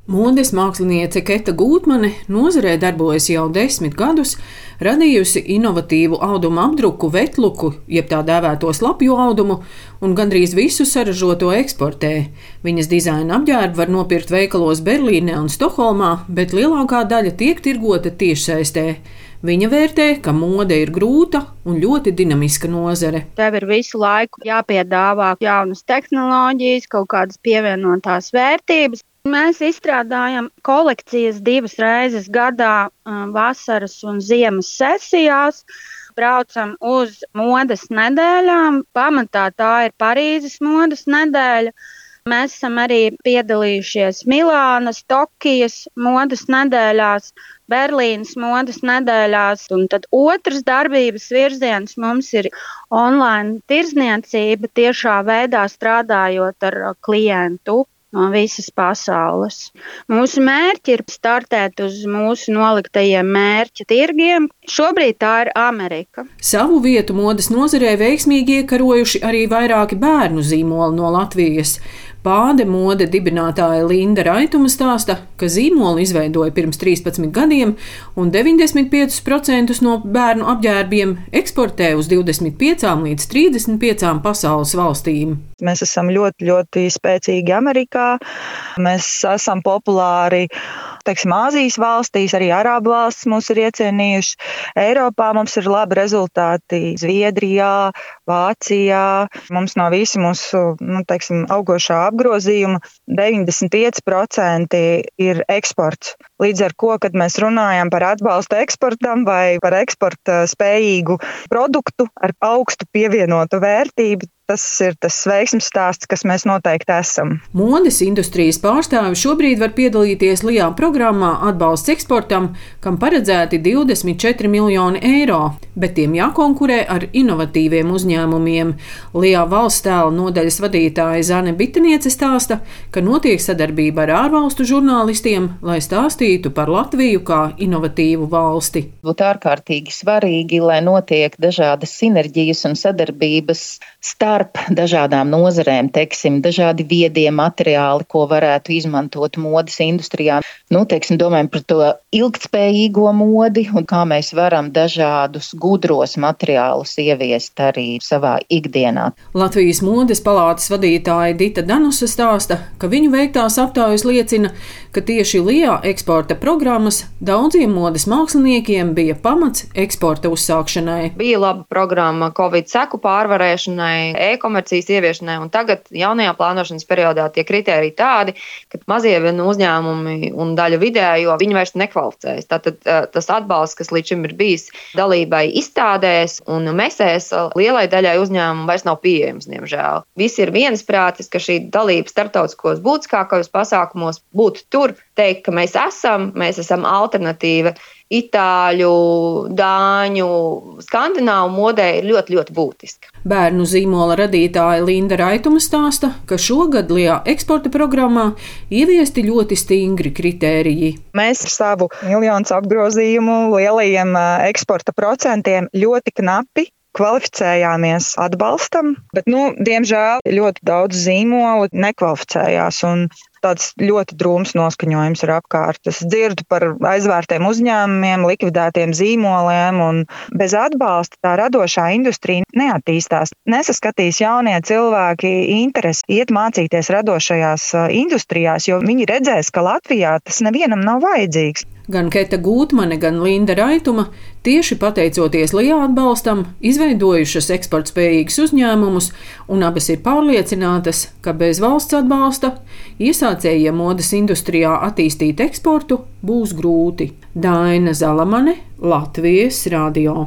Modes māksliniece Keta Gūtmane nozarē darbojas jau 10 gadus, radījusi inovatīvu audumu apdruku vetluku, jeb tā dēvēto slapju audumu, un gandrīz visu saražoto eksportē. Viņas dizaina apģērbu var nopirkt veikalos Berlīnē un Stokholmā, bet lielākā daļa tiek tirgota tiešsaistē. Viņa vērtē, ka mode ir grūta un ļoti dinamiska nozare. Tev ir visu laiku jāpiedāvā jaunas tehnoloģijas, kaut kādas pievienotās vērtības. Mēs izstrādājam kolekcijas 2 reizes gadā, vasaras un ziemas sesijās. Braucam uz modes nedēļām. Pamatā tā ir Parīzes modes nedēļa. Mēs esam arī piedalījušies Milānas, Tokijas modes nedēļās, Berlīnas modes nedēļās. Un tad otrs darbības virziens mums ir online tirdzniecība, tiešā veidā strādājot ar klientu no visas pasaules. Mūsu mērķi ir startēt uz mūsu noliktajiem mērķa tirgiem. Šobrīd tā ir Amerika. Savu vietu modes nozarē veiksmīgi iekarojuši arī vairāki bērnu zīmoli no Latvijas. Pāde mode dibinātāja Linda Raituma stāsta, ka zīmolu izveidoja pirms 13 gadiem un 95% no bērnu apģērbiem eksportē uz 25 līdz 35 pasaules valstīm. Mēs esam ļoti spēcīgi Amerikā. Mēs esam populāri, Āzijas valstīs, arī Arābu valstis mūs ir iecienījušas. Eiropā mums ir labi rezultāti Zviedrijā, Vācijā. Mums no visi mūsu, augošā apgrozījuma 95% ir eksports. Līdz ar ko, kad mēs runājam par atbalstu eksportam vai par eksporta spējīgu produktu ar augstu pievienotu vērtību, tas ir tas veiksmes stāsts, kas mēs noteikti esam. Modes industrijas pārstāvi šobrīd var piedalīties LIA programmā Atbalsts eksportam, kam paredzēti 24 miljoni eiro, bet tiem jākonkurē ar inovatīviem uzņēmumiem. LIA valsts tēla nodaļas vadītāja Zane Biteniece stāsta, ka notiek sadarbība ar ārvalstu žurnālistiem, lai stāstītu par Latviju kā inovatīvu valsti. Būtu ārkārtīgi svarīgi, lai notiek dažādas sinerģijas un sadarbības starp dažādām nozarēm, dažādi viedie materiāli, ko varētu izmantot modes industrijā. Domājam par to ilgtspējīgo modi un kā mēs varam dažādus gudros materiālus ieviest arī savā ikdienā. Latvijas modes palātas vadītāja Dita Danusa stāsta, ka viņu veiktās aptaujas liecina, ka tieši LIA eksporta programmas daudziem modes māksliniekiem bija pamats eksporta uzsākšanai. Bija laba programma Covid seku pārvarēšanai, e-komercijas ieviešanai, un tagad jaunajā plānošanas periodā tie kritēriji tādi, ka mazie uzņēmumi un daļa vidējo viņi vairs nekvalificējas. Tātad tas atbalsts, kas līdz šim ir bijis dalībai izstādēs un mesēs, lielai daļai uzņēmumu vairs nav pieejams, diemžēl. Visi ir viensprātis, ka šī dalība starptautiskos būtiskākajos pasākumos būtu tur, teikt, ka mēs esam alternatīva itāļu, dāņu, skandināvu modē ir ļoti būtiska. Bērnu zīmola radītāja Linda Raituma stāsta, ka šogad LIA eksporta programmā ieviesti ļoti stingri kritēriji. Mēs ar savu miljonus apgrozījumu lielajiem eksporta procentiem ļoti knapi kvalificējāmies atbalstam, bet, diemžēl, ļoti daudz zīmolu nekvalificējās un tāds ļoti drūms noskaņojums ir apkārt. Es dzirdu par aizvērtiem uzņēmumiem, likvidētiem zīmoliem, un bez atbalsta tā radošā industrija neattīstās. Nesaskatīs jaunie cilvēki interesi iet mācīties radošajās industrijās, jo viņi redzēs, ka Latvijā tas nevienam nav vajadzīgs. Gan Keta Gūtmane, gan Linda Raituma tieši pateicoties LIA atbalstam izveidojušas eksportspējīgus uzņēmumus, un abas ir pārliecinātas, ka bez valsts atbalsta iesācējiem modes industrijā attīstīt eksportu būs grūti. Daina Zalamane, Latvijas radio.